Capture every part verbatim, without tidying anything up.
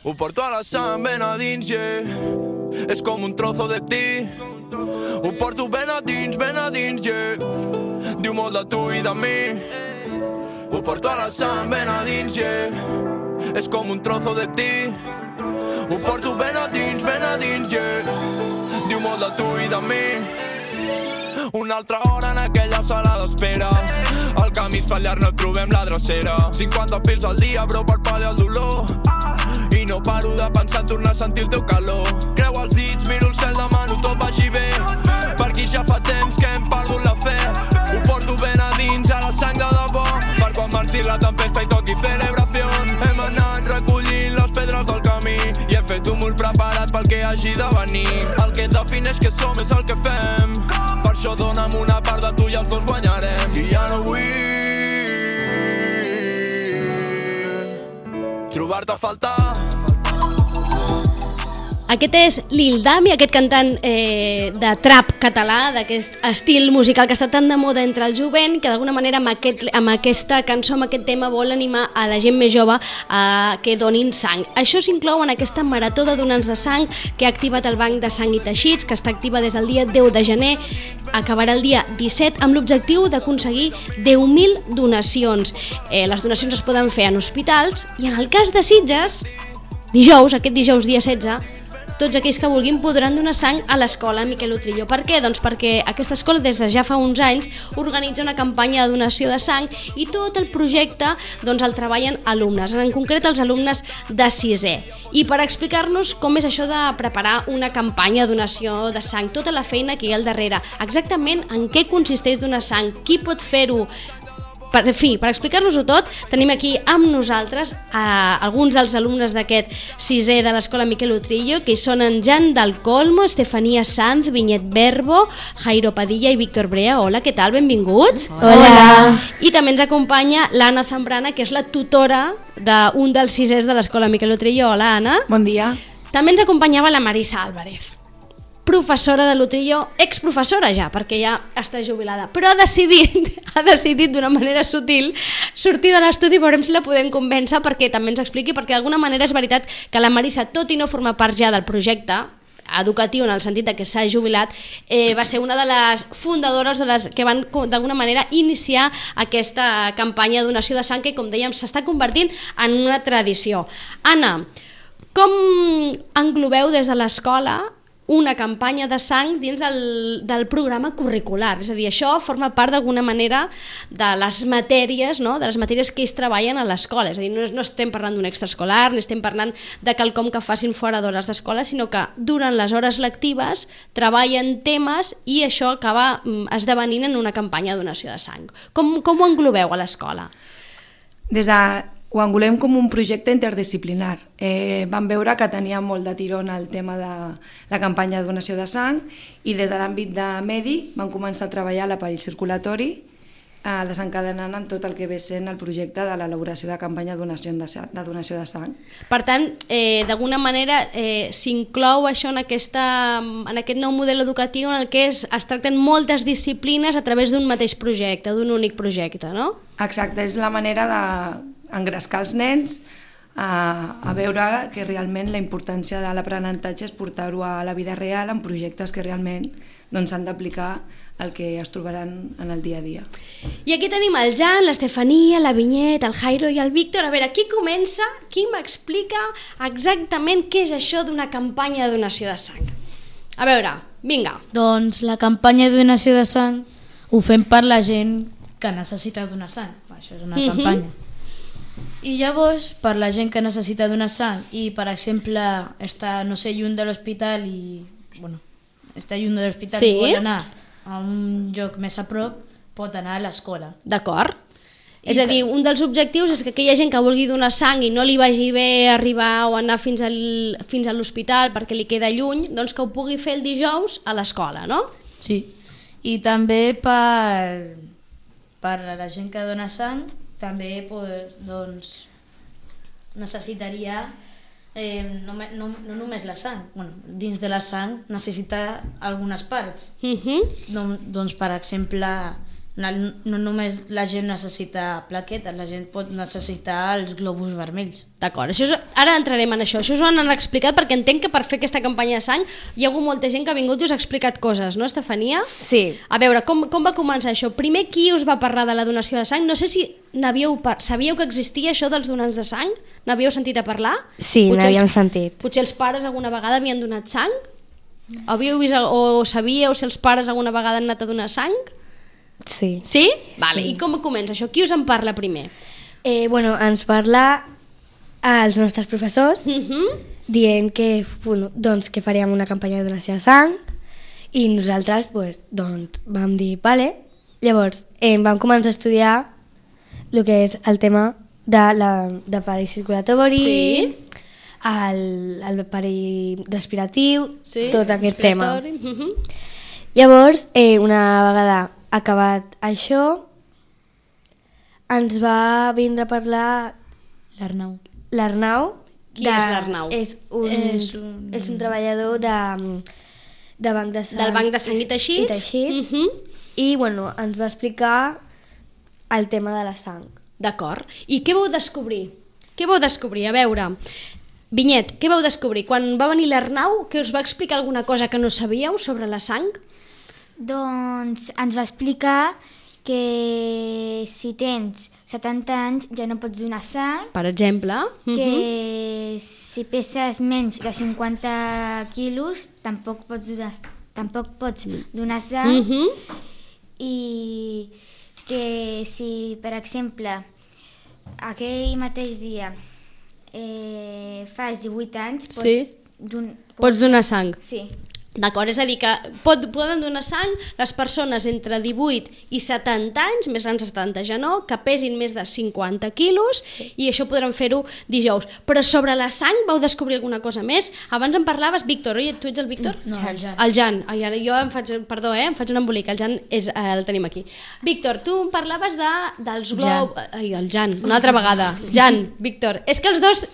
Ho porto a la sang ben a dins, yeah. És com un trozo de ti. Ho porto ben a dins, ben a dins, yeah. Diu molt de tu i de mi. Ho porto a la sang ben a dins, yeah. És com un trozo de ti. Ho porto ben a dins, ben a dins, yeah. Diu molt de tu i de mi. Una altra hora en aquella sala d'espera. El camí es fa llarg, no trobem la drecera. cinquanta pils al dia, bro, per pal·liar el dolor. I no paro de pensar en tornar a sentir el teu calor. Creu els dits, miro el cel, demano tot vagi bé. Per aquí ja fa temps que hem perdut la fe. Ho porto ben a dins, a la sang de debò. Per quan marxi la tempesta i toqui celebració. Hem anat recollint les pedres del camí i hem fet un mur preparat pel que hagi de venir. El que defineix que som és el que fem. Per això dona'm una part de tu i els dos guanyarem. I ja no vull trobar-te a faltar. Aquest és Lil Dami, aquest cantant eh, de trap català, d'aquest estil musical que està tan de moda entre el jovent, que d'alguna manera amb, aquest, amb aquesta cançó, amb aquest tema, vol animar a la gent més jove a que donin sang. Això s'inclou en aquesta marató de donants de sang que ha activat el Banc de Sang i Teixits, que està activa des del dia deu de gener, acabarà el dia disset, amb l'objectiu d'aconseguir deu mil donacions. Eh, les donacions es poden fer en hospitals i en el cas de Sitges, dijous, aquest dijous dia setze, tots aquells que vulguin podran donar sang a l'escola Miquel Utrillo. Per què? Doncs perquè aquesta escola des de ja fa uns anys organitza una campanya de donació de sang i tot el projecte doncs, el treballen alumnes, en concret els alumnes de sisè. I per explicar-nos com és això de preparar una campanya de donació de sang, tota la feina que hi ha al darrere, exactament en què consisteix donar sang, qui pot fer-ho. Per fi, per explicar-nos-ho tot, tenim aquí amb nosaltres a alguns dels alumnes d'aquest sisè de l'escola Miquel Utrillo, que són en Jan del Colmo, Estefania Sanz, Vinyet Verbo, Jairo Padilla i Víctor Brea. Hola, què tal? Benvinguts. Hola. I també ens acompanya l'Anna Zambrana, que és la tutora d'un dels sisès de l'escola Miquel Utrillo. Hola, Anna. Bon dia. També ens acompanyava la Marisa Álvarez, professora de l'Utrillo, exprofessora ja, perquè ja està jubilada, però ha decidit, ha decidit d'una manera sutil sortir de l'estudi. Veurem si la podem convèncer perquè també ens expliqui, perquè d'alguna manera és veritat que la Marisa, tot i no formar part ja del projecte educatiu en el sentit que s'ha jubilat, eh, va ser una de les fundadores de les que van d'alguna manera iniciar aquesta campanya de donació de sang que, com dèiem, s'està convertint en una tradició. Anna, com englobeu des de l'escola una campanya de sang dins del, del programa curricular? És a dir, això forma part d'alguna manera de les matèries, no? De les matèries que ells treballen a l'escola. És a dir, no, no estem parlant d'un extraescolar, ni estem parlant de quelcom que facin fora d'hores d'escola, sinó que durant les hores lectives treballen temes i això acaba esdevenint en una campanya de donació de sang. Com, com ho englobeu a l'escola? Des de... Ho engolem com un projecte interdisciplinar. Eh, vam veure que tenia molt de tirón el tema de la campanya de donació de sang i des de l'àmbit de medi vam començar a treballar l'aparell circulatori, eh, desencadenant en tot el que ve sent el projecte de l'elaboració de campanya de donació de, de donació de sang. Per tant, eh, d'alguna manera eh, s'inclou això en, aquesta, en aquest nou model educatiu en el que es, es tracten moltes disciplines a través d'un mateix projecte, d'un únic projecte, no? Exacte, és la manera de engrescar els nens a, a veure que realment la importància de l'aprenentatge és portar-ho a la vida real en projectes que realment doncs, s'han d'aplicar el que es trobaran en el dia a dia. I aquí tenim el Jan, l'Estefania, la Vinyet, el Jairo i el Víctor. A veure, qui comença? Qui m'explica exactament què és això d'una campanya de donació de sang? A veure, vinga. Doncs la campanya de donació de sang ho fem per la gent que necessita donar sang. Això és una Mhm. campanya. I llavors, per la gent que necessita donar sang i, per exemple, està, no sé, lluny de l'hospital i, bueno, està lluny de l'hospital Sí. i vol anar a un lloc més a prop, pot anar a l'escola. D'acord. I És a ta- dir, un dels objectius és que aquella gent que vulgui donar sang i no li vagi bé arribar o anar fins, al, fins a l'hospital perquè li queda lluny, doncs que ho pugui fer el dijous a l'escola, no? Sí. I també per, per a la gent que dona sang, també pues, doncs, necessitaria eh, no, no, no només la sang, bueno, dins de la sang necessita algunes parts. Uh -huh. Don, doncs, per exemple, no només la gent necessita plaquetes, la gent pot necessitar els globus vermells. D'acord, això és, ara entrarem en això. Això us ho han explicat perquè entenc que per fer aquesta campanya de sang hi ha hagut molta gent que ha vingut i us ha explicat coses, no, Estefania? Sí. A veure, com, com va començar això? Primer, qui us va parlar de la donació de sang? No sé si n'havíeu par... sabíeu que existia això dels donants de sang? N'havíeu sentit a parlar? Sí, n'havíem els... sentit. Potser els pares alguna vegada havien donat sang? Havíeu vist o sabíeu si els pares alguna vegada han anat a donar sang? Sí. Sí? Vale. I com comença això? Qui us en parla primer? Eh, bueno, ens parla als nostres professors Uh-huh. dient que, bueno, doncs, que faríem una campanya de donació de sang i nosaltres pues, doncs, vam dir vale. Llavors eh, vam començar a estudiar el que és el tema de la, de l'aparell circulatori, Sí. el, el aparell respiratiu, Sí? tot aquest tema. Respiratori. Uh-huh. Llavors, eh, una vegada acabat això, ens va vindre a parlar L'Arnau. l'Arnau. Qui de- és l'Arnau? És un, És és un- un... és un treballador de, de banc de sang. Del banc de sang i teixits. I teixits. Uh-huh. I, bueno, ens va explicar el tema de la sang. D'acord. I què vau descobrir? Què vau descobrir? A veure, Vinyet, què vau descobrir? Quan va venir l'Arnau, que us va explicar alguna cosa que no sabíeu sobre la sang? Doncs ens va explicar que si tens setanta anys ja no pots donar sang, Per exemple. Uh-huh. que si peses menys de cinquanta quilos tampoc pots donar, tampoc pots donar sang, Uh-huh. i que si, per exemple, aquell mateix dia eh, fas divuit anys, pots, Sí. don, Pots donar sang. Sí. D'acord, és a dir que pot, poden donar sang les persones entre divuit i setanta anys, més grans de setanta ja no, que pesin més de cinquanta quilos, i això podran fer-ho dijous. Però sobre la sang vau descobrir alguna cosa més? Abans em parlaves, Víctor, oi? Tu ets el Víctor? No, el Jan. El Jan. Ai, ara jo em faig, perdó, eh? em faig un embolic, el Jan és, eh, el tenim aquí. Víctor, tu em parlaves de, dels globus... Ai, el Jan, una altra vegada. Jan, Víctor, és que els dos...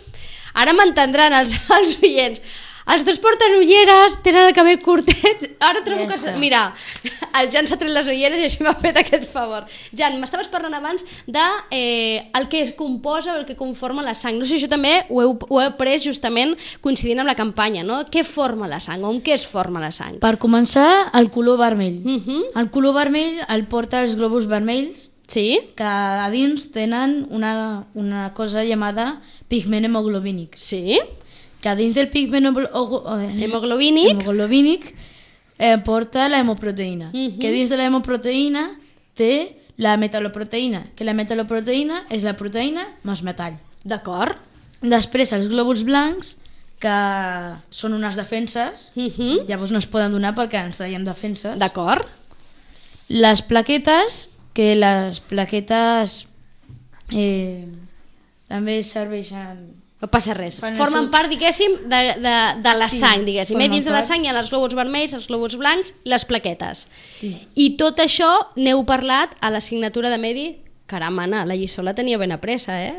Ara m'entendran els, els oients. Els dos porten ulleres, tenen el cabell curtet. Ara trobo Ja que... està. Mira, el Jan s'ha tret les ulleres i així m'ha fet aquest favor. Jan, m'estaves parlant abans de eh, el que composa o el que conforma la sang. No sé si això també ho heu, ho heu après justament coincidint amb la campanya, no? Què forma la sang o amb què es forma la sang? Per començar, el color vermell. Mhm. El color vermell el porta els globus vermells, Sí? que a dins tenen una, una cosa llamada pigment hemoglobínic. Sí? Que a dins del pigment hemo- eh, Hemoglobínic. hemoglobínic eh, porta la hemoproteïna, Mhm. que dins de la hemoproteïna té la metaloproteïna, que la metaloproteïna és la proteïna més metall. D'acord. Després els glòbuls blancs, que són unes defenses, Mhm. llavors no es poden donar perquè ens traiem defenses. D'acord. Les plaquetes, que les plaquetes eh, també serveixen... No passa res. Fan el Formen seu- part, diguéssim, de, de, de la Sí, sang, diguéssim. I formen dins de la part. sang hi ha els glòbuls vermells, els glòbuls blancs i les plaquetes. Sí. I tot això n'heu parlat a l'assignatura de Medi. Caram, Anna, la lliçó la tenia ben apressa, eh?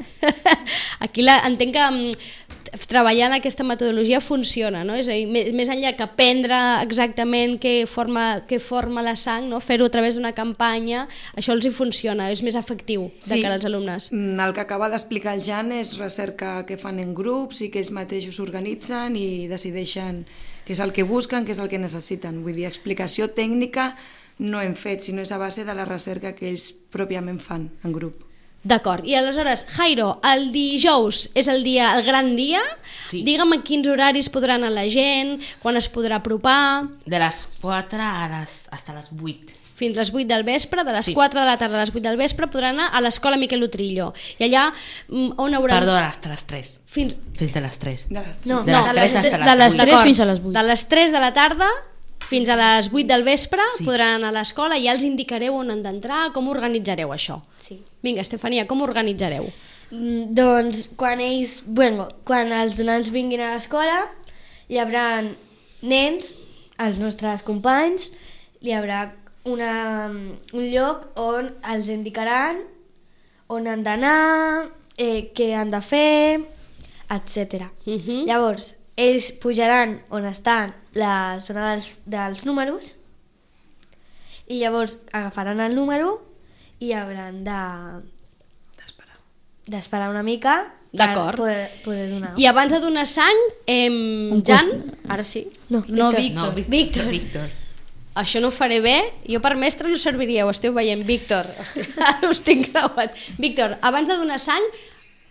Aquí la, entenc que mm, treballar en aquesta metodologia funciona, no? És a dir, més, més enllà que aprendre exactament què forma, què forma la sang, no? Fer-ho a través d'una campanya, això els hi funciona, és més efectiu de cara als alumnes. Mm, El que acaba d'explicar el Jan és recerca que fan en grups i que ells mateixos organitzen i decideixen què és el que busquen, què és el que necessiten. Vull dir, explicació tècnica no hem fet, sinó és a base de la recerca que ells pròpiament fan en grup. D'acord, i aleshores, Jairo, el dijous és el dia, el gran dia. Sí. Digue'm a quins horaris podrà anar la gent, quan es podrà apropar, De les quatre a les, hasta les vuit. fins les vuit del vespre, de les Sí. quatre de la tarda a les vuit del vespre podrà anar a l'escola Miquel Utrillo. I allà mm, on haurà... Perdó, hasta les tres. Fins... Fins de les tres. De les... No, De no, les tres hasta de les les vuit. tres D'acord. fins a les vuit. De les tres de la tarda fins a les vuit del vespre Sí. podran anar a l'escola i ja els indicareu on han d'entrar, com organitzareu això. Sí. Vinga, Estefania, com organitzareu? Mm, Doncs quan ells, bueno, quan els donants vinguin a l'escola, hi haurà nens, els nostres companys, hi haurà una, un lloc on els indicaran on han d'anar, eh, què han de fer, etcètera. Mhm. Llavors, ells pujaran on estan la zona dels, dels números i llavors agafaran el número i hauran de d'esperar una mica D'acord. per poder, poder donar. I abans de donar sang, eh, Jan, ara sí, No, No, Víctor. Víctor. No, Víctor. Víctor. això no ho faré bé, jo per mestre no serviria, ho esteu veient, Víctor, hosti, ara us tinc creuat. Víctor, abans de donar sang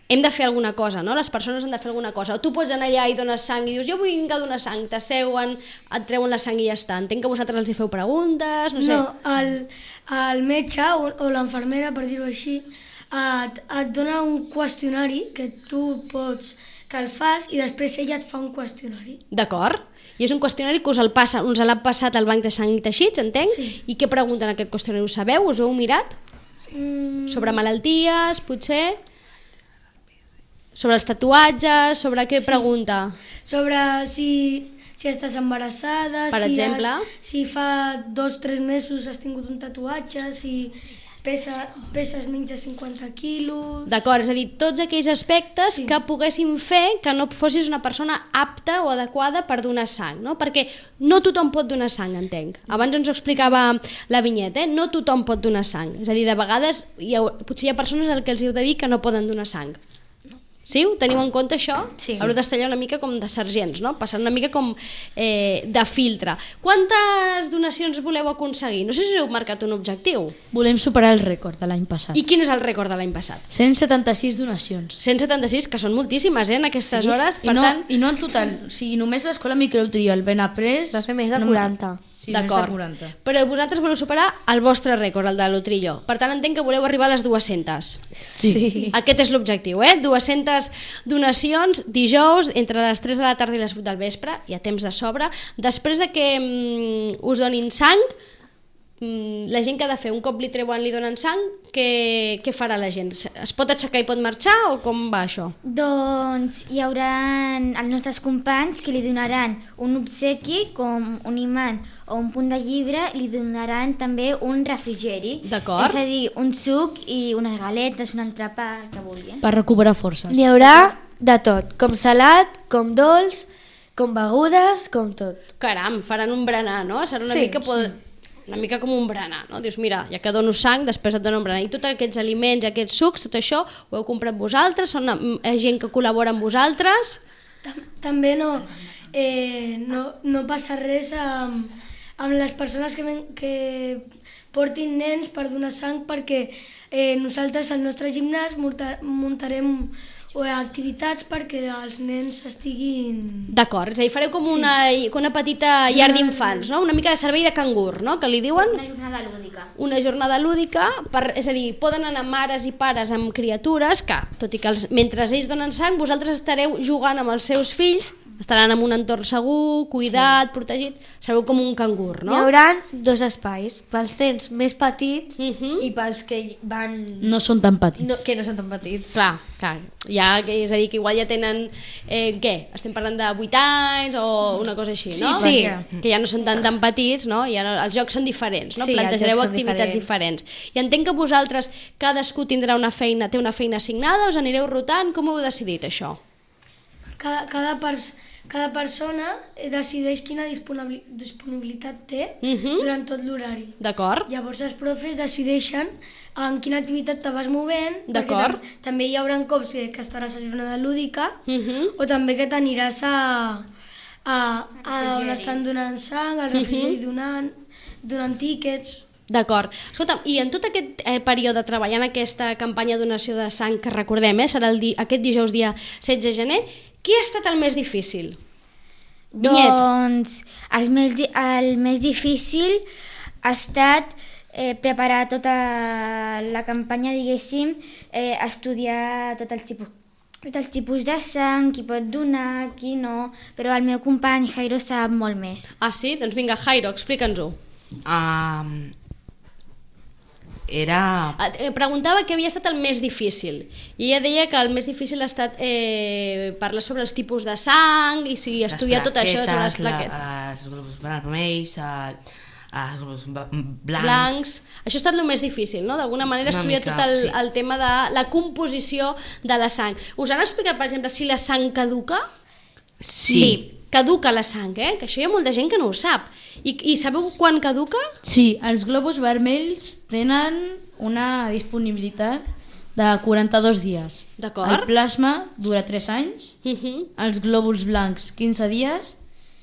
hem de fer alguna cosa, no? Les persones han de fer alguna cosa. O tu pots anar allà i dones sang i dius jo vull vinc a donar sang, t'asseuen, et treuen la sang i ja està. Entenc que vosaltres els hi feu preguntes, no sé. No, el, el metge o, o l'enfermera, per dir-ho així, et, et dona un qüestionari que tu pots, que el fas i després ella et fa un qüestionari. D'acord. I és un qüestionari que us el passa, us l'ha passat al banc de sang i teixits, entenc? Sí. I què pregunten en aquest qüestionari? Ho sabeu? Us ho heu mirat? Mm, Sobre malalties, potser? Sobre els tatuatges? Sobre què Sí. pregunta? sobre si, si estàs embarassada, Per si, exemple? has, si fa dos o tres mesos has tingut un tatuatge, si pesa, peses menys de cinquanta quilos... D'acord, és a dir, tots aquells aspectes Sí. que poguessin fer que no fossis una persona apta o adequada per donar sang, no? Perquè no tothom pot donar sang, entenc. Abans ens ho explicava la vinyeta, eh? No tothom pot donar sang. És a dir, de vegades hi ha, potser hi ha persones al que els heu de dir que no poden donar sang. Sí? Ho teniu en compte, això? Sí. Haureu d'estar allà una mica com de sergents, no? Passant una mica com eh, de filtre. Quantes donacions voleu aconseguir? No sé si heu marcat un objectiu. Volem superar el rècord de l'any passat. I quin és el rècord de l'any passat? cent setanta-sis donacions. cent setanta-sis, que són moltíssimes, eh, en aquestes hores. I Per no, tant, I no en total, o sigui, només l'escola Microtrio, el Benaprés... Va fer més de no- quaranta. Sí, més de d'acord. quaranta. Però vosaltres voleu superar el vostre rècord, el de l'Utrillo. Per tant, entenc que voleu arribar a les dues-centes. Sí. Aquest és l'objectiu, eh? dues-centes donacions dijous entre les tres de la tarda i les vuit del vespre, hi ha temps de sobre. Després de que mm, us donin sang, mm, la gent que ha de fer, un cop li treuen, li donen sang, què, què farà la gent? Es pot aixecar i pot marxar o com va això? Doncs hi haurà els nostres companys que li donaran un obsequi com un imant o un punt de llibre, li donaran també un refrigeri. D'acord. És a dir, un suc i unes galetes, un entrepà, el que vulguin. Per recuperar forces. N'hi haurà de tot, com salat, com dolç, com begudes, com tot. Caram, faran un berenar, no? Serà una Sí, mica... Pod... una mica com un berenar, no? Dius, mira, ja que dono sang, després et dono un berenar. I tots aquests aliments, aquests sucs, tot això, ho heu comprat vosaltres? Són eh, gent que col·labora amb vosaltres? Tam també no, eh, no, no passa res amb, amb les persones que, ven, que portin nens per donar sang, perquè eh, nosaltres al nostre gimnàs munta, muntarem o activitats perquè els nens estiguin... D'acord, és a dir, fareu com una, una petita llar d'infants, no? Una mica de servei de cangur, no? Que li diuen? Una jornada lúdica. Una jornada lúdica, per, és a dir, poden anar mares i pares amb criatures que, tot i que els, mentre ells donen sang, vosaltres estareu jugant amb els seus fills, estaran en un entorn segur, cuidat, sí. protegit, sereu com un cangur, no? Hi haurà dos espais, pels nens més petits Uh -huh. i pels que van... No són tan petits. No, que no són tan petits. Clar, clar, ja, és a dir, que igual ja tenen, eh, què? Estem parlant de vuit anys o una cosa així, no? Sí. Que ja no són tan tan petits, no? Ja no, els jocs són diferents, no? Sí, els Plantejareu jocs són activitats diferents. diferents. I entenc que vosaltres, cadascú tindrà una feina, té una feina assignada, us anireu rotant, com ho heu decidit, això? Cada, cada, pers cada persona decideix quina disponibil disponibilitat té Uh -huh. durant tot l'horari. D'acord? Llavors els profes decideixen en quina activitat te vas movent, perquè D'acord. tam també hi haurà cops que, que estaràs a jornada lúdica, Uh -huh. o també que t'aniràs a, a, a on estan donant sang, al refrigeri donant, donant tíquets... D'acord. Escolta'm, i en tot aquest eh, període treballant aquesta campanya de donació de sang, que recordem, eh, serà el di aquest dijous dia setze de gener, què ha estat el més difícil? Vinyet. Doncs el més, di- el més difícil ha estat eh, preparar tota la campanya, diguéssim, eh, estudiar tots els tipus tots els tipus de sang, qui pot donar, qui no, però el meu company Jairo sap molt més. Ah, sí? Doncs vinga, Jairo, explica'ns-ho. Um, era... Eh, Preguntava què havia estat el més difícil i ella deia que el més difícil ha estat eh, parlar sobre els tipus de sang i si estudiar tot això sobre les plaquetes. La, els grups vermells, el, els grups blancs... blancs. Això ha estat el més difícil, no? D'alguna manera Una estudiar mica, tot el, sí. el tema de la composició de la sang. Us han explicat, per exemple, si la sang caduca? Sí. Caduca la sang, eh? Que això hi ha molta gent que no ho sap. I, i sabeu quan caduca? Sí, els globus vermells tenen una disponibilitat de quaranta-dos dies. D'acord. El plasma dura tres anys, Uh-huh. els glòbuls blancs quinze dies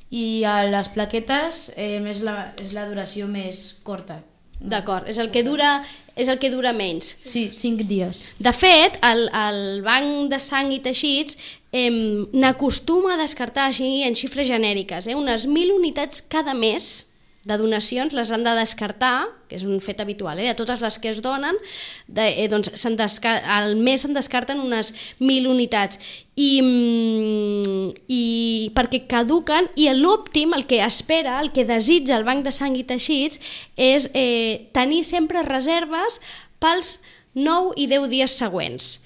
i a les plaquetes eh, és, la, és la duració més curta. D'acord, és el que dura és el que dura menys. Sí, cinc dies. De fet, el, el banc de sang i teixits eh, n'acostuma a descartar així en xifres genèriques, eh, unes mil unitats cada mes de donacions les han de descartar, que és un fet habitual, eh, de totes les que es donen, de, eh, doncs desca- al mes se'n descarten unes mil unitats. I, mm, i perquè caduquen, i l'òptim, el que espera, el que desitja el banc de sang i teixits és eh, tenir sempre reserves pels nou i deu dies següents.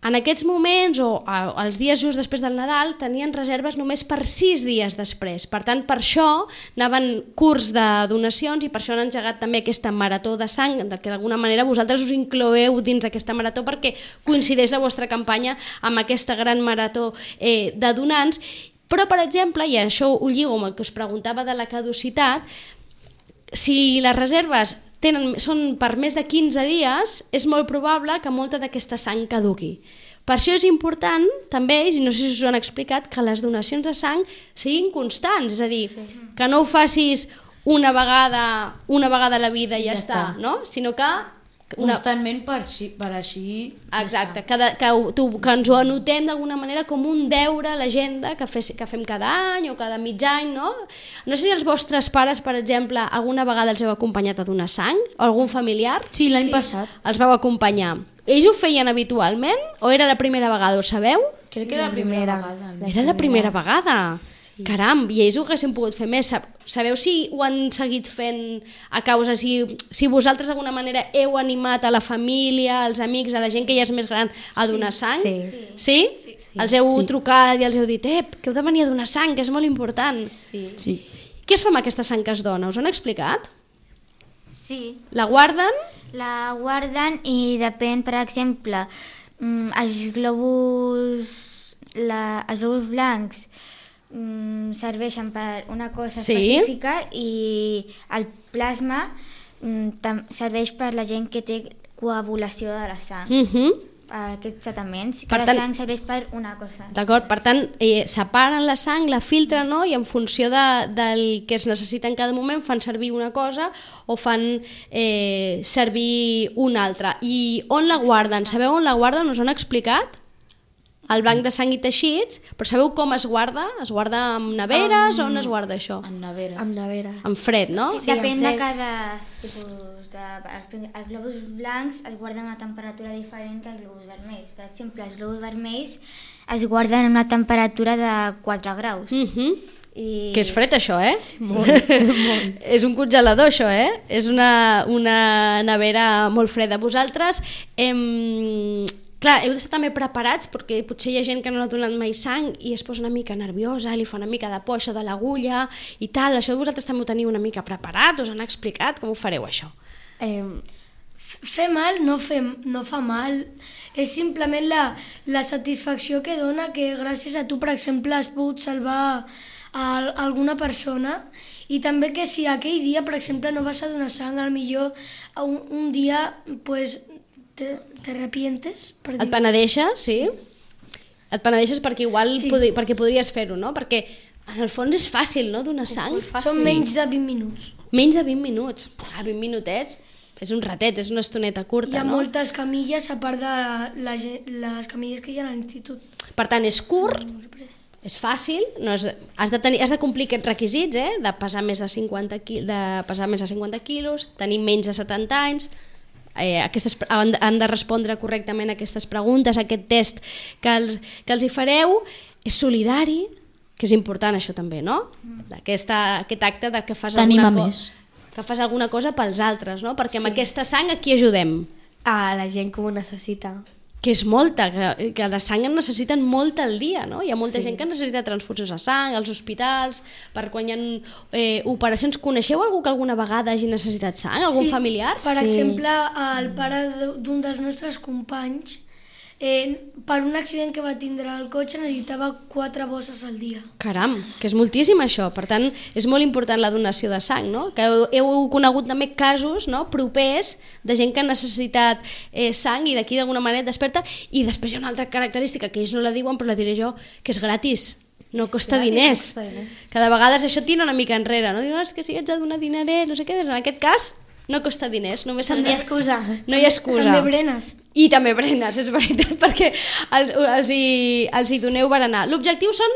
En aquests moments, o a, els dies just després del Nadal, tenien reserves només per sis dies després. Per tant, per això anaven curts de donacions i per això han engegat també aquesta marató de sang, de que d'alguna manera vosaltres us incloeu dins aquesta marató perquè coincideix la vostra campanya amb aquesta gran marató eh, de donants. Però, per exemple, i això ho lligo amb el que us preguntava de la caducitat, si les reserves tenen, són per més de quinze dies, és molt probable que molta d'aquesta sang caduqui. Per això és important, també, i no sé si us ho han explicat, que les donacions de sang siguin constants, és a dir, sí. que no ho facis una vegada, una vegada a la vida i ja, ja està, està, no? Sinó que una... constantment per, per així... Exacte, que, de, que, tu, que ens ho anotem d'alguna manera com un deure a l'agenda que, fe, que fem cada any o cada mig any, no? No sé si els vostres pares, per exemple, alguna vegada els heu acompanyat a donar sang, o algun familiar? Sí, l'any sí. passat. Els vau acompanyar. Ells ho feien habitualment o era la primera vegada, ho sabeu? Crec que era la primera, primera vegada. Era la primera vegada. Sí. Caram, i ells ho haguessin pogut fer més. Sabeu si ho han seguit fent a causa, si, si vosaltres d'alguna manera heu animat a la família, als amics, a la gent que ja és més gran a donar sang? Sí. Sí? sí? sí. Els heu sí. trucat i els heu dit, ep, que heu de venir a donar sang, que és molt important. Sí. sí. Què es fa amb aquesta sang que es dona? Us ho han explicat? Sí. La guarden? La guarden i depèn, per exemple, els globus, la, els globus blancs mm, serveixen per una cosa sí. específica i el plasma mm, serveix per la gent que té coagulació de la sang. Uh-huh. Aquests tractaments, que per la tant, sang serveix per una cosa. D'acord, per tant, eh, separen la sang, la filtren, no? I en funció de, del que es necessita en cada moment fan servir una cosa o fan eh, servir una altra. I on la guarden? Sabeu on la guarden? Us ho han explicat? Al banc de sang i teixits, però sabeu com es guarda? Es guarda en neveres um, o on es guarda això? En neveres. En neveres. En fred, no? Sí, depèn de cada tipus. De, els, els globus blancs es guarden a una temperatura diferent que els globus vermells. Per exemple, els globus vermells es guarden a una temperatura de quatre graus. Uh-huh. I... Que és fred això, eh? Molt, molt. És un congelador això, eh? És una, una nevera molt freda. Vosaltres, em... clar, heu d'estar també preparats perquè potser hi ha gent que no ha donat mai sang i es posa una mica nerviosa, li fa una mica de por això de l'agulla i tal. Això vosaltres també ho teniu una mica preparat? Us han explicat com ho fareu això? Eh, fer mal no, fe, no fa mal, és simplement la, la satisfacció que dona que gràcies a tu, per exemple, has pogut salvar a, a alguna persona i també que si aquell dia, per exemple, no vas a donar sang, al millor un, un dia pues, te, te arrepientes. Per dir. Et penedeixes, sí? Et penedeixes perquè igual sí. podri, perquè podries fer-ho, no? Perquè en el fons és fàcil, no?, donar sang. Són menys de vint minuts. Menys de vint minuts. Ah, vint minutets. És un ratet, és una estoneta curta, no? Hi ha no? moltes camilles a part de la, les camilles que hi ha a l'institut. Per tant, és curt, és fàcil, no és, has, de tenir, has de complir aquests requisits, eh? De pesar més de cinquanta, de pesar més de cinquanta quilos, tenir menys de setanta anys, eh, aquestes, han, han de respondre correctament a aquestes preguntes, a aquest test que els, que els hi fareu, és solidari, que és important això també, no? Aquesta, aquest acte de que fas alguna cosa... que fas alguna cosa pels altres, no? Perquè sí. amb aquesta sang a qui ajudem? A la gent que ho necessita. Que és molta, que, que de sang en necessiten molta al dia, no? Hi ha molta sí. gent que necessita transfusions de sang, als hospitals, per quan hi ha eh, operacions. Coneixeu algú que alguna vegada hagi necessitat sang? Algun sí, familiar? Per sí. exemple, el pare d'un dels nostres companys eh, per un accident que va tindre el cotxe necessitava quatre bosses al dia. Caram, que és moltíssim això. Per tant, és molt important la donació de sang, no? Que heu, heu conegut també casos, no?, propers de gent que ha necessitat eh, sang i d'aquí d'alguna manera et desperta. I després hi ha una altra característica que ells no la diuen, però la diré jo, que és gratis. No costa Gratis, diners. no costa diners. Cada vegada això tira una mica enrere, no? Diuen, és que si ets de donar dineret, no sé què, en aquest cas no costa diners, només s'han No hi ha excusa. No hi ha excusa. També berenes. I també berenes, és veritat, perquè els, els, hi, els hi doneu berenar. L'objectiu són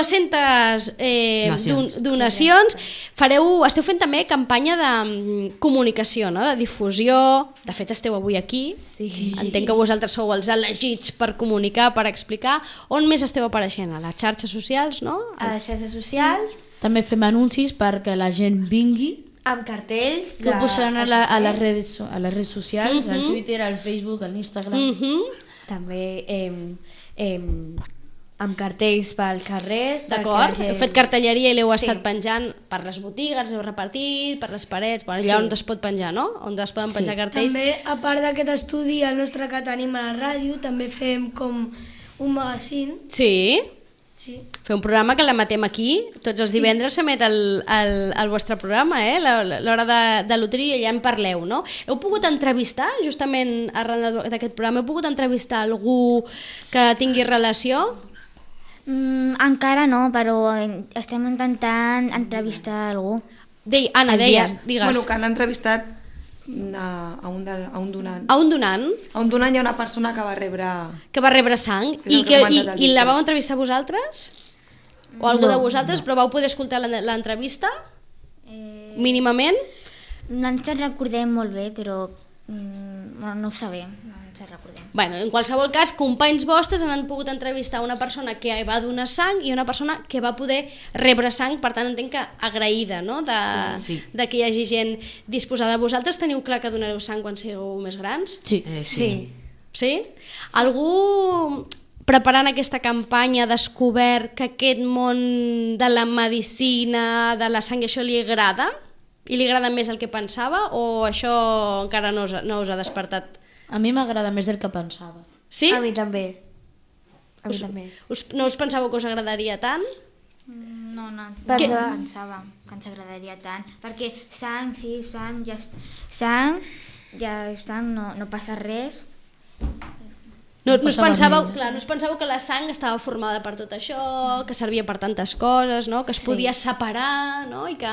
dues-centes eh, Donacions. don, donacions. Fareu, esteu fent també campanya de mm, comunicació, no?, de difusió. De fet, esteu avui aquí. Sí. Entenc que vosaltres sou els elegits per comunicar, per explicar. On més esteu apareixent? A les xarxes socials, no? A les xarxes socials, També fem anuncis perquè la gent vingui, amb cartells... que ho posaran a, la, a, les redes, a les redes socials, Mhm. al Twitter, al Facebook, al Instagram. Mm -hmm. També eh, eh, amb cartells pels carrers. perquè D'acord? la gent- Heu fet cartelleria i l'heu Sí. estat penjant per les botigues, heu repartit, per les parets, per allà Sí. on es pot penjar, no? On es poden penjar cartells. També, a part d'aquest estudi, el nostre que tenim a la ràdio, també fem com un magazín. Sí, Sí. fer un programa que l'emetem aquí, tots els divendres s'emet el, el, el vostre programa, eh? La- la- l'hora de, de loteria, i allà en parleu, no? Heu pogut entrevistar, justament arran d'aquest programa, heu pogut entrevistar algú que tingui relació? Mm, encara no, però eh, estem intentant entrevistar algú. Dei, Anna, deies, digues. Bueno, que han entrevistat a, a, un, de, a un donant. A un donant A un donant hi ha una persona que va rebre... que va rebre sang És i, el que que, ha i, comentat el i la Víctor. vau entrevistar vosaltres? O algú No, de vosaltres, però vau poder escoltar l'en- l'entrevista? Eh, Mínimament? no ens en recordem molt bé, però mm, no, no ho sabem, no ens en recordem. Bueno, en qualsevol cas, companys vostres han pogut entrevistar una persona que va donar sang i una persona que va poder rebre sang, per tant entenc que agraïda, no?, de, Sí, sí. de que hi hagi gent disposada. Vosaltres teniu clar que donareu sang quan sigueu més grans? Sí. Eh, sí. Sí. Sí? Algú preparant aquesta campanya ha descobert que aquest món de la medicina, de la sang, i això li agrada? I li agrada més el que pensava? O això encara no us, no us ha despertat? A mi m'agrada més del que pensava. Sí? A mi també. A mi Us, també. us, no us pensàveu que us agradaria tant? No, no, Perquè- no pensàvem que ens agradaria tant, perquè sang, sí, sang, ja, sang, ja sang, no, no passa res. No, No no, us passava pensàveu, res. clar, no us pensàveu que la sang estava formada per tot això, que servia per tantes coses, no? Que es podia separar, no? I que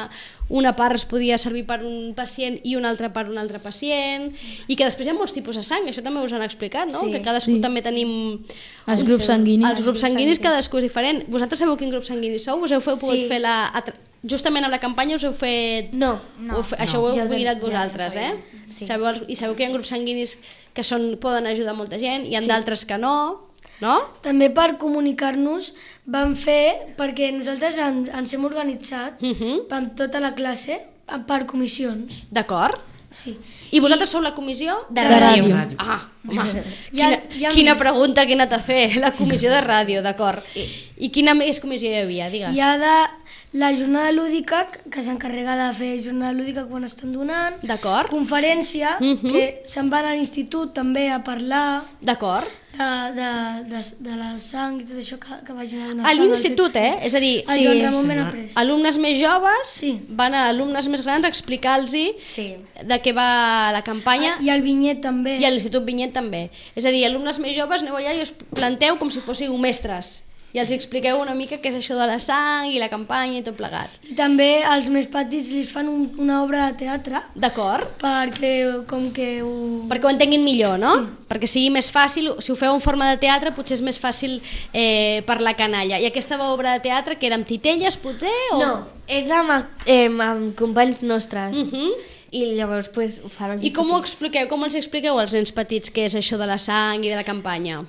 una part es podia servir per un pacient i una altra per un altre pacient, i que després hi ha molts tipus de sang, això també us han explicat, no? Sí. Que cadascú Sí. també tenim... Els grups sanguinis. Els grups sanguinis, cadascú és diferent. Vosaltres sabeu quin grup sanguini sou? Us heu fe- pogut Sí. fer la... atra- Justament amb la campanya us heu fet... No, no, Ho fe- Això ho heu Ja ho vam- mirat ja ho vosaltres, eh? sabem. Sí. Sabeu els, I sabeu que hi ha grups sanguinis que són, poden ajudar molta gent, hi ha Sí. d'altres que no, no? També per comunicar-nos vam fer, perquè nosaltres en, ens hem organitzat Mhm. amb tota la classe per comissions. D'acord. Sí. I vosaltres sou la comissió? De ràdio. Ràdio. Ah, home, Hi ha- quina, hi ha quina més. pregunta que he anat a fer. La comissió de ràdio, d'acord. I, I quina més comissió hi havia, digues? Hi ha de la jornada lúdica, que s'encarrega de fer jornada lúdica quan estan donant, D'acord, conferència, Mhm. que se'n van a l'institut també a parlar d'acord. de, de, de, de la sang i tot això que, que vagin a donar A sang als l'institut, setze. eh? És a dir, A Sí. Joan Ramon Benaprés. alumnes més joves Sí. van a alumnes més grans a explicar-los Sí. de què va la campanya. I el vinyet també. I a l'Institut Vinyet també. És a dir, alumnes més joves, aneu allà i us planteu com si fóssiu mestres. I els expliqueu una mica què és això de la sang i la campanya i tot plegat. I també als més petits li fan un, una obra de teatre D'acord? perquè com que ho... Perquè ho entenguin millor, no? Sí. Perquè sigui més fàcil, si ho feu en forma de teatre, potser és més fàcil eh, per la canalla. I aquesta obra de teatre, que era amb titelles, potser? O... No, és amb, eh, amb companys nostres. Uh -huh. I llavors pues, ho fan els I com ho petits. expliqueu, com els expliqueu als nens petits què és això de la sang i de la campanya?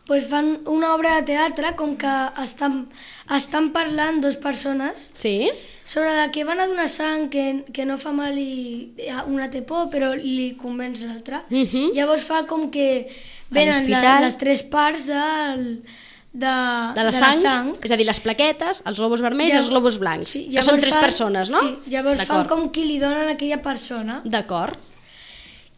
Pues fan una obra de teatre com que estan, estan parlant dues persones Sí? sobre la que van a donar sang, que, que no fa mal i una té por, però li convenç l'altra. Uh -huh. Llavors fa com que venen la, l'hospital. les tres parts del, de, De la sang, és a dir, les plaquetes, els globus vermells i els globus blancs, Sí, que són llavors tres fan- persones, no? Sí, llavors fan D'acord. com qui li donen a aquella persona. D'acord.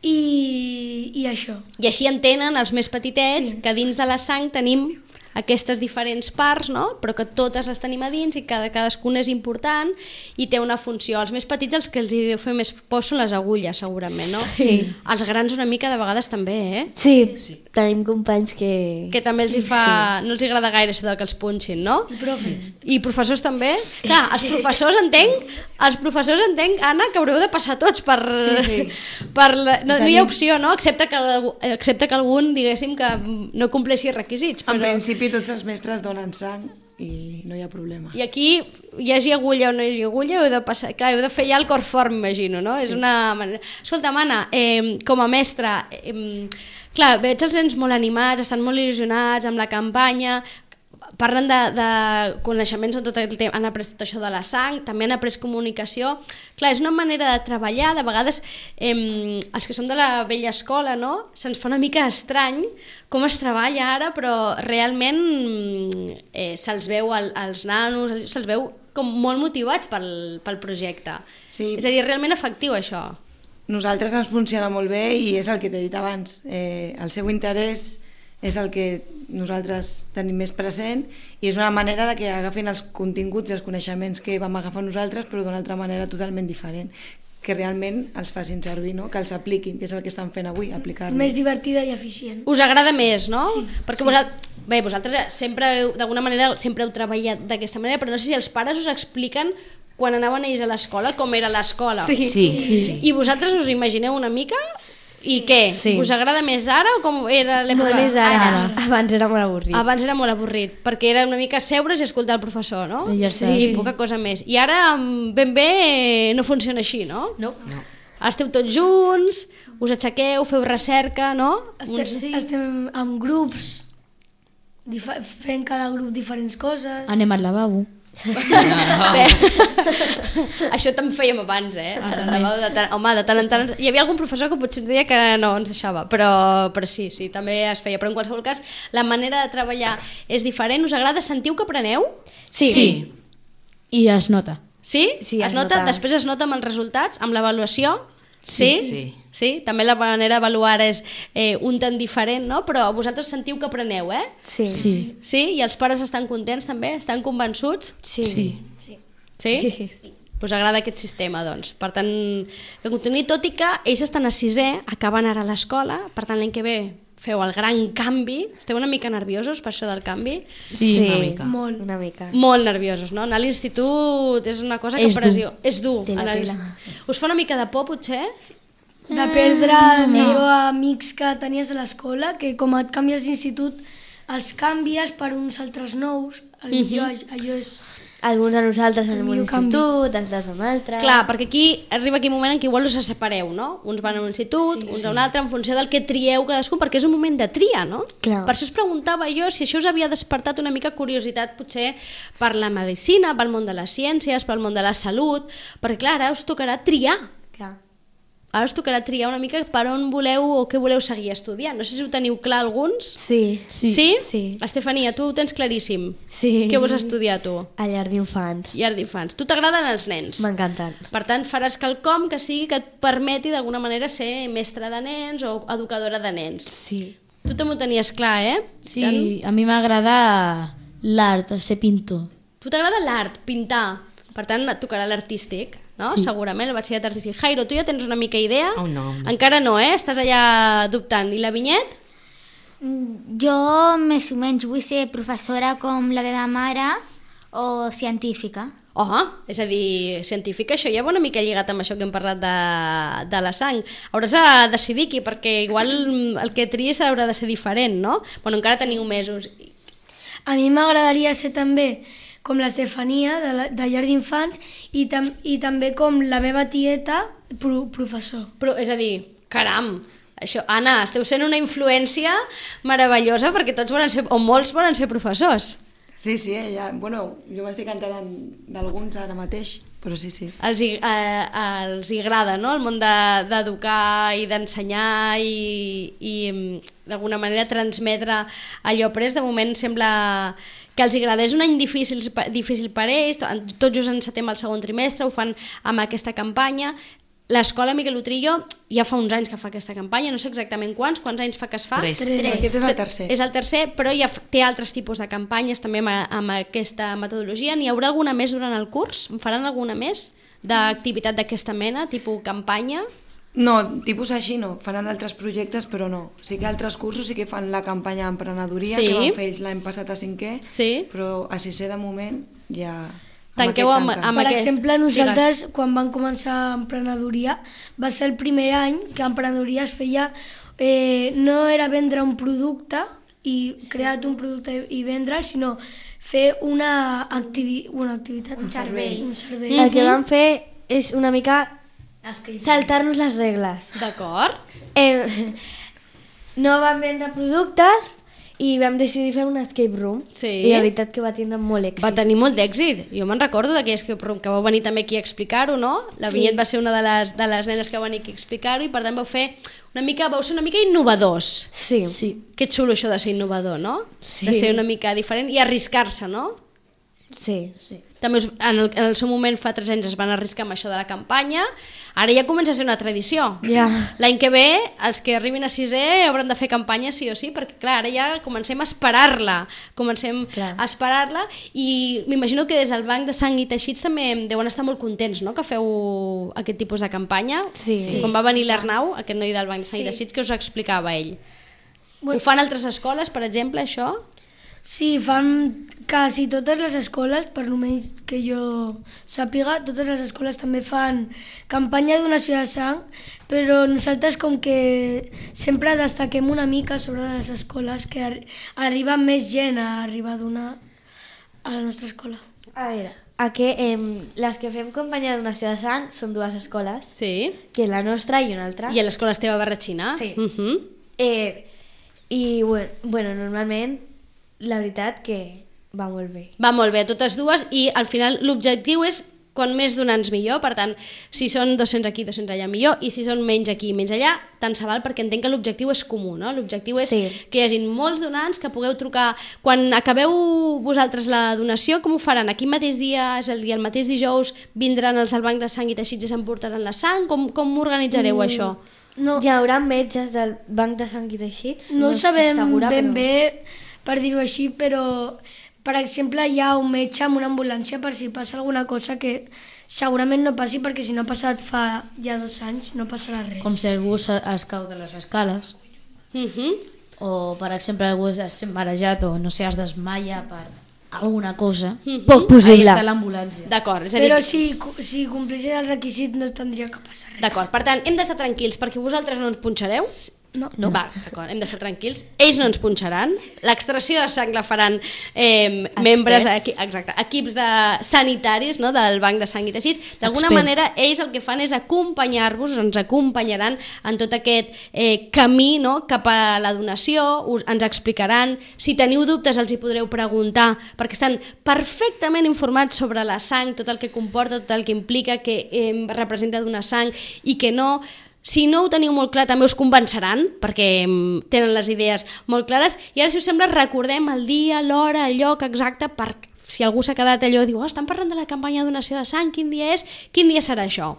i, i això. I així entenen els més petitets sí. que dins de la sang tenim aquestes diferents parts, no? Però que totes les tenim a dins i cada cadascuna és important i té una funció. Els més petits, els que els deu fer més por són les agulles, segurament, no? Sí. Els grans una mica de vegades també, eh? Sí, sí. Tenim companys que... Que també els sí, hi fa... Sí. No els agrada gaire això de que els punxin, no? I profes. I professors també? Clar, els professors entenc, els professors entenc, Anna, que haureu de passar tots per... Sí, sí. per la... no, no hi ha opció, no? Excepte que, excepte que algun, diguéssim, que no compleixi requisits. Però... En principi tots els mestres donen sang i no hi ha problema. I aquí, hi hagi agulla o no hi hagi agulla, heu de, passar, clar, heu de fer ja el cor fort, m'imagino, no? Sí. És una manera... Escolta, Anna, eh, com a mestra, eh, clar, veig els nens molt animats, estan molt il·lusionats amb la campanya, parlen de, de coneixements en tot el temps, han après tot això de la sang, també han après comunicació. Clar, és una manera de treballar, de vegades eh, els que som de la vella escola, no? Se'ns fa una mica estrany com es treballa ara, però realment eh, se'ls veu al, als nanos, se'ls veu com molt motivats pel, pel projecte. Sí. És a dir, realment efectiu això. Nosaltres ens funciona molt bé i és el que t'he dit abans. Eh, el seu interès és el que nosaltres tenim més present i és una manera de que agafin els continguts i els coneixements que vam agafar nosaltres però d'una altra manera totalment diferent, que realment els facin servir, no? Que els apliquin, que és el que estan fent avui, aplicar-los. Més divertida i eficient. Us agrada més, no? Sí. Perquè sí. Vosaltres, bé, vosaltres sempre, d'alguna manera, sempre heu treballat d'aquesta manera, però no sé si els pares us expliquen quan anaven ells a l'escola, com era l'escola. Sí. Sí, sí, sí. I vosaltres us imagineu una mica? I què? Sí. Us agrada més ara o com era l'època? No, més ara. ara. Abans era molt avorrit. Abans era molt avorrit, perquè era una mica seure's i escoltar el professor, no? I ja està. I Sí. poca cosa més. I ara ben bé no funciona així, no? No. No. Esteu tots junts, us aixequeu, feu recerca, no? Estem, sí. estem en grups, fent cada grup diferents coses. Anem al lavabo. Bé, això també fèiem abans, eh? De tant, home, de tant en tant... Hi havia algun professor que potser ens deia que no ens deixava, però, però sí, sí, també es feia. Però en qualsevol cas, la manera de treballar és diferent. Us agrada? Sentiu que apreneu? Sí. Sí. I es nota. Sí? Sí, es es nota? nota. Després es nota amb els resultats, amb l'avaluació? Sí? Sí. Sí? També la manera d'avaluar és eh, un tant diferent, no? Però vosaltres sentiu que apreneu, eh? Sí. Sí. Sí? I els pares estan contents també? Estan convençuts? Sí. Sí. Sí? Sí. Us agrada aquest sistema, doncs. Per tant, que continuï, tot i que ells estan a sisè, acaben ara a l'escola, per tant l'any que ve feu el gran canvi. Esteu una mica nerviosos per això del canvi? Sí, una mica. Molt. Una mica. Molt nerviosos, no? Anar a l'institut és una cosa que És pressió. És dur. Tela, anar a tela. l'institut. Us fa una mica de por, potser? De perdre el millor amics que tenies a l'escola, que com et canvies d'institut els canvies per uns altres nous, el millor allò és... Alguns de nosaltres en El un millor canvi. institut, altres en un altre... Clar, perquè aquí arriba aquell moment en què igual us separeu, no? Uns van a un institut, sí, uns a un altre, en funció del que trieu cadascun, perquè és un moment de tria, no? Clar. Per això us preguntava jo si això us havia despertat una mica curiositat, potser per la medicina, pel món de les ciències, pel món de la salut, perquè clar, ara us tocarà triar. Clar. Ara us tocarà triar una mica per on voleu o què voleu seguir estudiant. No sé si ho teniu clar alguns. Sí. Sí? Sí. Sí. Estefania, tu ho tens claríssim. Sí. Què vols estudiar tu? A llar d'infants. Llar d'infants. Tu t'agraden els nens? M'encanten. Per tant, faràs quelcom que sigui que et permeti d'alguna manera ser mestra de nens o educadora de nens. Sí. Tu també ho tenies clar, eh? Sí, Tant? a mi m'agrada l'art, ser pintor. Tu t'agrada l'art, pintar. Per tant, et tocarà l'artístic, no? Sí. Segurament, el batxillerat artístic. Jairo, tu ja tens una mica idea? Oh, no. Encara no, eh? Estàs allà dubtant. I la Vinyet? Jo més o menys vull ser professora com la meva mare o científica. Oh, és a dir, científica, això ja va una mica lligat amb això que hem parlat de, de la sang. Hauràs de decidir aquí, perquè igual el que tries haurà de ser diferent, no? Bueno, encara teniu mesos. A mi m'agradaria ser també com l'Estefania, de, la, de llar d'infants, i, tam, i també com la meva tieta, pro, professor. Però, és a dir, caram, això, Anna, esteu sent una influència meravellosa perquè tots volen ser, o molts volen ser professors. Sí, sí, eh, ja, bueno, jo m'estic enterant d'alguns ara mateix, però sí, sí. Els hi, eh, els hi agrada, no?, el món de- d'educar i d'ensenyar i, i mm, d'alguna manera transmetre allò après. De moment sembla que els agrada. És un any difícil, difícil per ells, tot just encetem el segon trimestre, ho fan amb aquesta campanya. l'escola Miquel Utrillo ja fa uns anys que fa aquesta campanya, no sé exactament quants, quants anys fa que es fa? Tres. Aquest és el tercer. És el tercer, però ja té altres tipus de campanyes també amb, amb aquesta metodologia. N'hi haurà alguna més durant el curs? En faran alguna més d'activitat d'aquesta mena, tipus campanya? No, tipus així no, faran altres projectes però no. Sí que altres cursos sí que fan la campanya d'emprenedoria, Sí. que van fer ells l'any passat a cinquè, Sí. però a sisè de moment ja... Tanqueu amb, aquest amb Per aquest... exemple, nosaltres, Digues. quan vam començar emprenedoria, va ser el primer any que emprenedoria es feia... Eh, no era vendre un producte i crear un producte i vendre'l, sinó fer una, activi una activitat. Un servei. Un servei. El que vam fer és una mica saltar-nos les regles. D'acord. Eh, no vam vendre productes i vam decidir fer un escape room. Sí. I la veritat que va tindre molt èxit. Va tenir molt d'èxit. Jo me'n recordo d'aquell escape room que vau venir també aquí a explicar-ho, no? La Sí. Vinyet va ser una de les, de les nenes que va venir aquí a explicar-ho i per tant vau fer una mica, vau ser una mica innovadors. Sí. Sí. Que xulo això de ser innovador, no? Sí. De ser una mica diferent i arriscar-se, no? Sí. Sí. També us, en, el, en el seu moment, fa tres anys, es van arriscar amb això de la campanya. Ara ja comença a ser una tradició. Ja. L'any que ve, els que arribin a sisè hauran de fer campanya sí o sí, perquè clar, ara ja comencem a esperar-la. Comencem Clar. a esperar-la i m'imagino que des del Banc de Sang i Teixits també deuen estar molt contents, no?, que feu aquest tipus de campanya. Sí. Sí. Quan va venir l'Arnau, aquest noi del Banc de Sang i Sí. Teixits, que us explicava ell. Bueno. Ho fan altres escoles, per exemple, això? Sí, fan quasi totes les escoles, per almenys que jo sàpiga, totes les escoles també fan campanya de donació de sang, però nosaltres com que sempre destaquem una mica sobre les escoles, que ar arriba més gent a arribar a donar a la nostra escola. A veure, a que, eh, les que fem campanya de donació de sang són dues escoles, Sí. que la nostra i una altra. I a l'escola Esteve Barratxina? Sí. Uh -huh. Eh, I, bueno, bueno, normalment, la veritat que va molt bé. Va molt bé, totes dues, i al final l'objectiu és quan més donants millor, per tant, si són dos-cents aquí, dos-cents allà millor, i si són menys aquí i menys allà, tant se val, perquè entenc que l'objectiu és comú, no? L'objectiu és Sí. que hi hagi molts donants, que pugueu trucar... Quan acabeu vosaltres la donació, com ho faran? Aquell mateix dia, és el dia, el mateix dijous, vindran els del Banc de Sang i Teixits i s'emportaran la sang? Com, com organitzareu mm. això? No, Hi haurà metges del Banc de Sang i Teixits? no, no sabem estic segura, ben però... bé, per dir-ho així, però per exemple hi ha un metge amb una ambulància per si passa alguna cosa que segurament no passi, perquè si no ha passat fa ja dos anys no passarà res. Com si algú es es cau de les escales, Uh -huh. o per exemple algú es marejat o no sé, es desmaia per alguna cosa. Poc possible. Ahí està l'ambulància. D'acord, és a dir... Però si, si complissin el requisit no tindria que passar res. D'acord, per tant, hem d'estar tranquils perquè vosaltres no ens punxareu? No. No. Va, d'acord, hem d'estar tranquils. Ells no ens punxaran. L'extracció de sang la faran eh, membres, equi exacte, equips de sanitaris, no?, del Banc de Sang i Teixits. D'alguna Experts. manera, ells el que fan és acompanyar-vos, ens acompanyaran en tot aquest eh, camí, no?, cap a la donació, us, ens explicaran. Si teniu dubtes els hi podreu preguntar, perquè estan perfectament informats sobre la sang, tot el que comporta, tot el que implica, que eh, representa donar sang i que no. Si no ho teniu molt clar, també us convenceran, perquè mm, tenen les idees molt clares. I ara, si us sembla, recordem el dia, l'hora, el lloc exacte, per si algú s'ha quedat allò i diu, oh, estan parlant de la campanya de donació de sang, quin dia és? Quin dia serà això?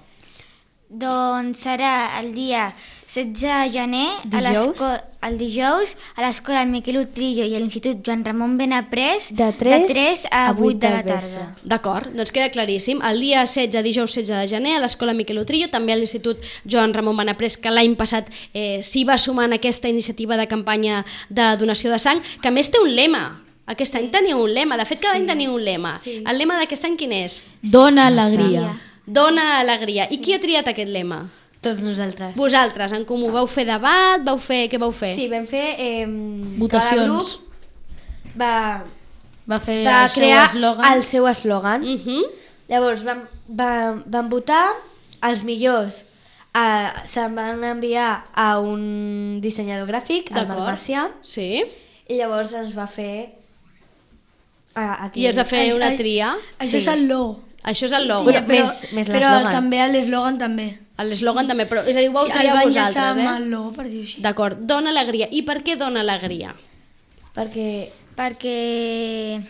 Doncs serà el dia setze de gener, a Dijous? l'esco- el dijous, a l'escola Miquel Utrillo i a l'Institut Joan Ramon Benaprés, De tres de tres a a vuit vuit de la del tarda. vespre. D'acord, doncs queda claríssim. El dia setze, dijous setze de gener, a l'escola Miquel Utrillo, també a l'Institut Joan Ramon Benaprés, que l'any passat eh, s'hi va sumar en aquesta iniciativa de campanya de donació de sang, que a més té un lema. Aquest any teniu un lema, de fet cada any teniu un lema. El lema d'aquest any quin és? Dona alegria. Dona alegria. I qui ha triat aquest lema? Tots nosaltres. Vosaltres, en comú, vau fer debat, vau fer... Què vau fer? Sí, vam fer... Eh, Votacions. Cada grup va, Va fer va el seu crear eslògan. el seu eslògan. Uh -huh. Llavors vam, vam, vam votar, els millors eh, se'n van enviar a un dissenyador gràfic, al Marc Macià, Sí. i llavors ens va fer... Uh, aquí. I es va fer Ai, una ai, tria. Això Sí. és el logo. Això és el logo. Bueno, però més- més però l'eslògan. també l'eslògan també. L'eslògan també, però és a dir, ho vau Sí, el triar van enllaçar vosaltres, amb eh? el logo, per dir-ho així. D'acord, dona alegria. I per què dona alegria? Perquè Perquè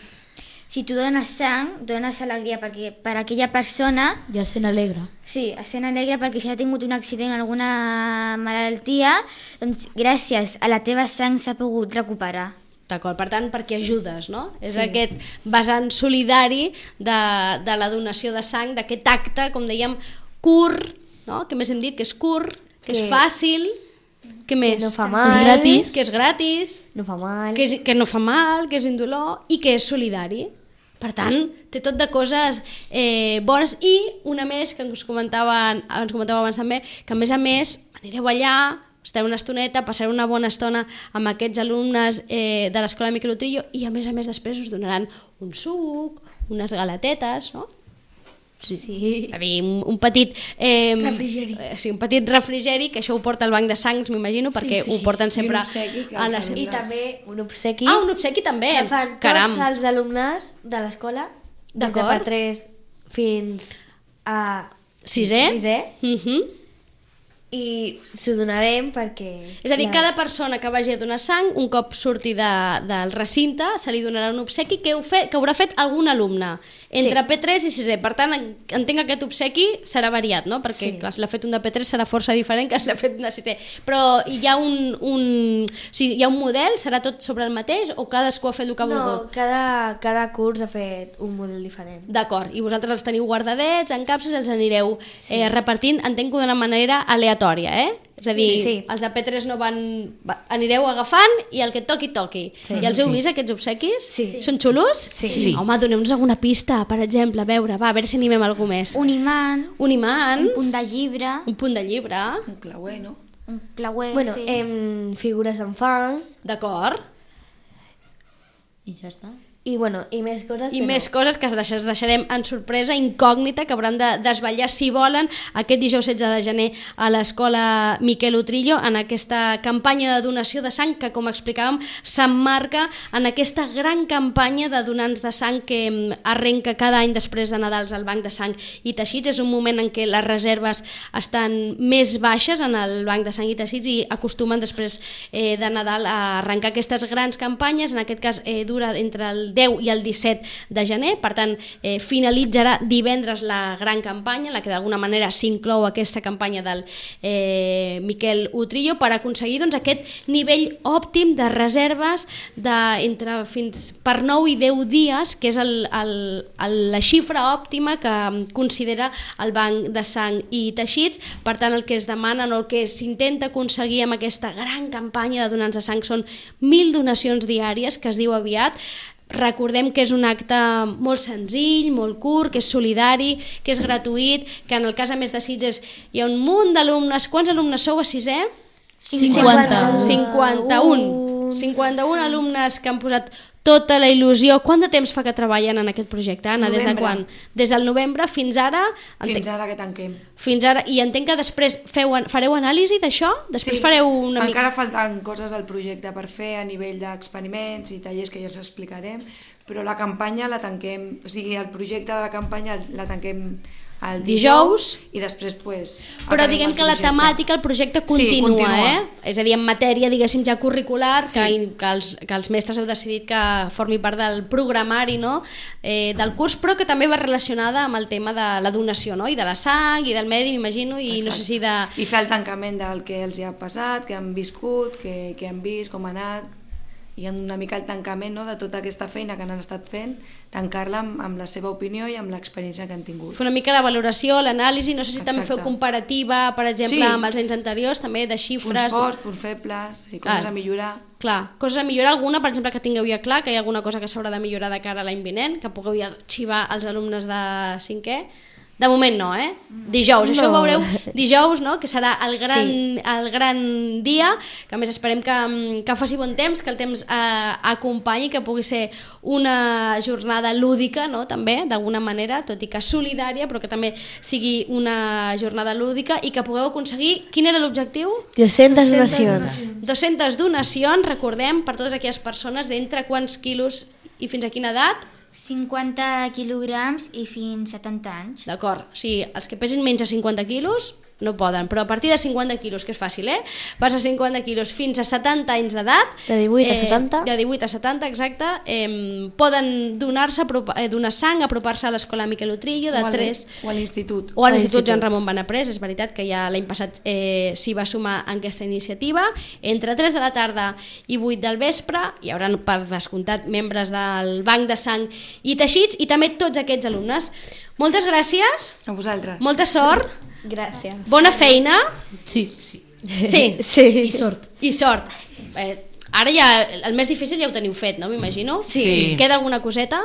si tu dones sang, dones alegria perquè per a aquella persona... I es sent alegre. Sí, es sent alegre perquè si ha tingut un accident o alguna malaltia, doncs gràcies a la teva sang s'ha pogut recuperar. D'acord, per tant, perquè ajudes, no? Sí. És aquest vessant solidari de, de la donació de sang, d'aquest acte, com dèiem, curt, no? Que més hem dit que és curt, que, que és fàcil, que més? no fa mal. Que és gratis. Que és gratis. No fa mal. Que, és, que no fa mal, que és indolor i que és solidari. Per tant, té tot de coses eh, bones i una més que ens comentaven, ens comentava abans també, que a més a més anireu allà, estareu una estoneta, passareu una bona estona amb aquests alumnes eh, de l'Escola Miquel Utrillo i a més a més després us donaran un suc, unes galetetes, no? Sí, sí. A dir, un, un petit eh, refrigeri. Eh, sí, un petit refrigeri, que això ho porta el banc de sangs, m'imagino, perquè sí. ho porten sempre obsequi, a les... I també un obsequi. Ah, un obsequi també. Que fan Caram. tots els alumnes de l'escola, des de D'acord. per tres fins a Sisè? sisè, Mhm. i s'ho donarem perquè... És a dir, la- cada persona que vagi a donar sang, un cop surti de, del recinte, se li donarà un obsequi que, heu fet, que haurà fet algun alumne, entre Sí. P tres i sisè. Per tant, en- entenc que aquest obsequi serà variat, no? Perquè, Sí. clar, si l'ha fet un de P tres serà força diferent que si l'ha fet un de sisè. Però hi ha un, un, si hi ha un model, serà tot sobre el mateix o cadascú ha fet el que ha No, volgut? cada, cada curs ha fet un model diferent. D'acord, i vosaltres els teniu guardadets, en capses, els anireu eh, repartint, entenc que d'una manera aleatòria, eh? És a dir, Sí, sí. els de P tres no van... va- anireu agafant i el que toqui, toqui. Sí. I els heu vist, aquests obsequis? Sí. Són xulos? Sí. Sí. Home, doneu-nos alguna pista, per exemple, a veure, va, a veure si animem algú més. Un imant, Un imant, un punt de llibre, un punt de llibre, Un clauer, no? un clauer, Bueno, sí. em, figures en fang d'acord? I ja està. i, bueno, i més coses I que més no. coses que es deixarem en sorpresa, incògnita, que hauran de desvetllar, si volen, aquest dijous setze de gener a l'Escola Miquel Utrillo, en aquesta campanya de donació de sang que, com explicàvem, s'emmarca en aquesta gran campanya de donants de sang que mm, arrenca cada any després de Nadals al Banc de Sang i Teixits. És un moment en què les reserves estan més baixes en el Banc de Sang i Teixits i acostumen després eh, de Nadal a arrencar aquestes grans campanyes. En aquest cas eh, dura entre el deu i el disset de gener, per tant eh, finalitzarà divendres la gran campanya, en la que d'alguna manera s'inclou aquesta campanya del eh, Miquel Utrillo per aconseguir doncs, aquest nivell òptim de reserves de, entre fins per nou i deu dies, que és el, el, el, la xifra òptima que considera el Banc de Sang i Teixits. Per tant, el que es demana o el que s'intenta aconseguir amb aquesta gran campanya de donants de sang són mil donacions diàries, que es diu aviat. Recordem que és un acte molt senzill, molt curt, que és solidari, que és gratuït, que en el cas a més de Sitges hi ha un munt d'alumnes. Quants alumnes sou a sisè? cinquanta. cinquanta-un. cinquanta-un alumnes que han posat tota la il·lusió. Quant de temps fa que treballen en aquest projecte, Anna? Des de Novembre. quan? Des del novembre fins ara? Fins Entenc, ara que tanquem. fins ara. I entenc que després feu, fareu anàlisi d'això? Després fareu una mica... encara falten coses del projecte per fer a nivell d'experiments i tallers que ja us explicarem, però la campanya la tanquem, o sigui, el projecte de la campanya la tanquem el dijous, Dijous. i després pues, Però acabem diguem el que la projecte. temàtica, el projecte Sí, continua, continua. eh? És a dir, en matèria, diguéssim, ja curricular, Sí. que, que, els, que els mestres heu decidit que formi part del programari, no?, eh, del curs, però que també va relacionada amb el tema de la donació, no?, i de la sang, i del medi, m'imagino, i no sé si de... I fer el tancament del que els hi ha passat, que han viscut, que, que han vist, com ha anat, i una mica el tancament, no?, de tota aquesta feina que han estat fent, tancar-la amb, amb la seva opinió i amb l'experiència que han tingut. Fer una mica la valoració, l'anàlisi, no sé si també Exacte. feu comparativa, per exemple, Sí. amb els anys anteriors, també de Punts xifres... forts, punts febles, i Clar. coses a millorar. Clar, coses a millorar, alguna, per exemple, que tingueu ja clar, que hi ha alguna cosa que s'haurà de millorar de cara a l'any vinent, que pugueu ja xivar als alumnes de cinquè. De moment no, eh? Dijous, això ho No. veureu dijous, no?, que serà el gran, Sí. el gran dia, que a més esperem que, que faci bon temps, que el temps eh, acompanyi, que pugui ser una jornada lúdica, no?, també, d'alguna manera, tot i que solidària, però que també sigui una jornada lúdica i que pugueu aconseguir... Quin era l'objectiu? dues-centes donacions. dues-centes donacions, recordem, per totes aquelles persones d'entre quants quilos i fins a quina edat? cinquanta quilograms i fins setanta anys. D'acord, o sigui, els que pesin menys de cinquanta quilos no poden, però a partir de cinquanta quilos, que és fàcil, eh? Vas a cinquanta quilos fins a setanta anys d'edat, De divuit a setanta. de divuit a setanta, exacte, eh, poden donar-se, eh, donar sang, apropar-se a l'escola Miquel Utrillo de O al- tres... o a l'institut. O a l'Institut Joan Ramon Benaprés, és veritat que ja l'any passat eh, s'hi va sumar en aquesta iniciativa. Entre tres de la tarda i vuit del vespre hi haurà, per descomptat, membres del Banc de Sang i Teixits i també tots aquests alumnes. Moltes gràcies, A vosaltres. molta sort, Gràcies. bona feina. Sí, sí. Sí, Sí. I sort. i sort. Eh, ara ja, el més difícil ja ho teniu fet, no? M'imagino. Sí. Queda alguna coseta?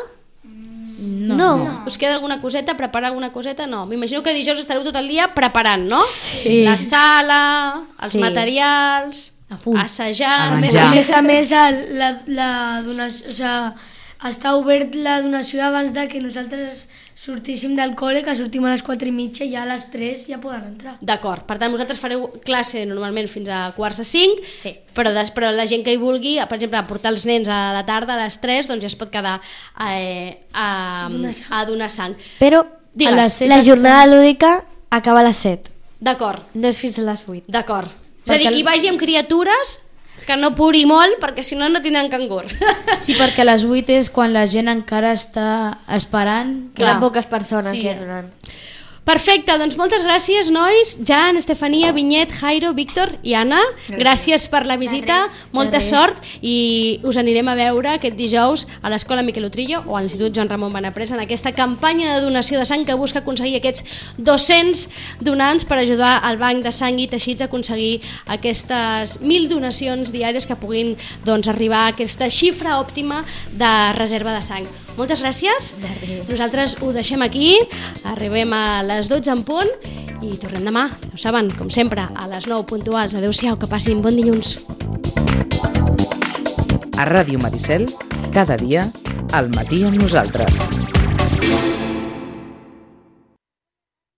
No. no. Us queda alguna coseta? Preparar alguna coseta? No. M'imagino que dijous estareu tot el dia preparant, no? Sí. La sala, els Sí. materials, A full. assajar... A A més, menjar. a més, a més el- la, la donació, o sea, està obert la donació abans de que nosaltres sortíssim del col·le, que sortim a les quatre i mitja i ja a les tres ja poden entrar. D'acord, per tant, vosaltres fareu classe normalment fins a quarts de cinc, Sí. però, des, però la gent que hi vulgui, per exemple, a portar els nens a la tarda a les tres, doncs ja es pot quedar eh, a, Donar sang. a donar sang. Però Digues. a les set la jornada lúdica acaba a les set. D'acord, No és fins a les vuit. d'acord. És a dir, Perquè qui el- vagi amb criatures, que no puri molt, perquè si no, no tindran cangur. Sí, perquè a les vuit és quan la gent encara està esperant. Clar. Queden poques persones Sí. que donen. Perfecte, doncs moltes gràcies, nois. Jan, Estefania, Vinyet, Jairo, Víctor i Anna. Gràcies, per la visita, molta sort i us anirem a veure aquest dijous a l'Escola Miquel Utrillo o a l'Institut Joan Ramon Benaprés en aquesta campanya de donació de sang que busca aconseguir aquests dos-cents donants per ajudar al Banc de Sang i Teixits a aconseguir aquestes mil donacions diàries que puguin doncs, arribar a aquesta xifra òptima de reserva de sang. Moltes gràcies. Nosaltres ho deixem aquí, arribem a les dotze en punt i tornem demà, ja ho saben, com sempre, a les nou puntuals. Adéu-siau, que passin bon dilluns. A Ràdio Maricel, cada dia, al matí amb nosaltres.